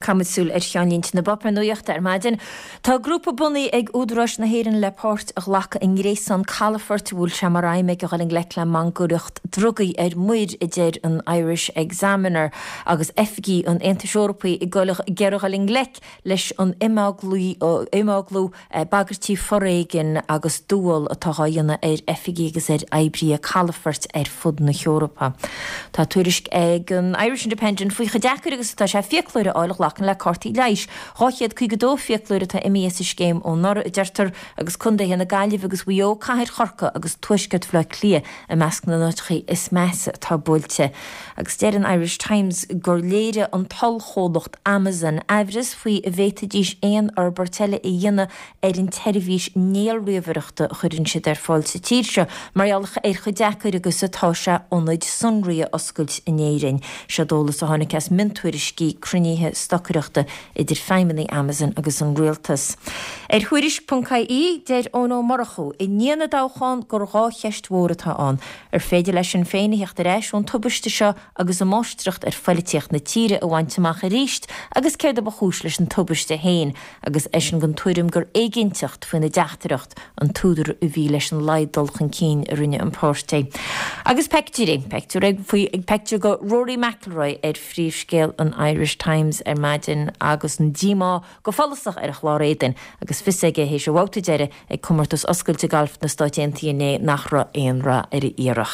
Caithfimid súil ar cheannlínte na bpáipéar nuachta ar maidin. Tá grúpa bunaithe ag údaráis na hÉireann le páirt a ghlacadh i ngréasán calafoirt a bhfuil sé mar aidhm aige dhul i ngleic le mangaireacht drugaí ar muir, a deir an Irish Examiner, agus oifigigh an Aontais Eorpaigh ag iarraidh dhul i ngleic leis an imeaglú bagairtí foréigin agus dúmhál atá á dhéanamh ar oifigigh agus ar oibrithe calafoirt ar fud na hEorpa. Tá tuairisc ag an Irish Independent faoi chomh deacair agus atá sé fiaclóir a fháil a ghlacann le cártaí leighis. 252 fiaclóir atá imithe as an scéim ó anuraidh, a deirtear, agus contaetha na Gaillimhe agus Mhaigh Eo, cathair Chorcaí agus tuaisceart Bhaile Átha Cliath i measc na n-áiteacha is measa atá buailte. Agus deir an Irish Times gur léirigh an t-ollchomhlacht Amazon aimhreas faoi an bhféadfaidís aon fhorbairt eile a dhéanamh ar an tseirbhís néalríomhaireachta a chuireann siad ar fáil sa tír seo mar gheall ar chomh deacair agus atá sé ionaid sonraí a oscailt in Éirinn. Seod eolas a tháinig as miontuairiscí cruinnithe stocaireachta idir feidhmeannaigh Amazon agus an rialtas. Ar Thuairisc.ie, deir Eoin Ó Murchú i ndiaidh na dtoghchán gur dhá cheist mhór atá ann, ar féidir le Sinn Féin a theacht ar ais ón tubaiste seo agus an máistreacht ar phoilitíocht na tíre a bhaint amach arís agus céard a ba chúis leis an tubaiste féin agus eisean den tuairim gur éiginnteacht faoina dteachtaireacht an t-údar a bhí leis an laghad dul chun cinn a rinne an páirtí. Agus peictiúirí, peictiúr ag faoi peictiúr de Rory McIlroy ar phríomhscéal an Irish Times ar maidin agus an díomá go follasach ar a chlár éadain agus fios aige théis a bhabhta deiridh ag Comórtas Oscailte Gailf na Stáit Aontaithe inné nach raibh aon rath ar a iarracht.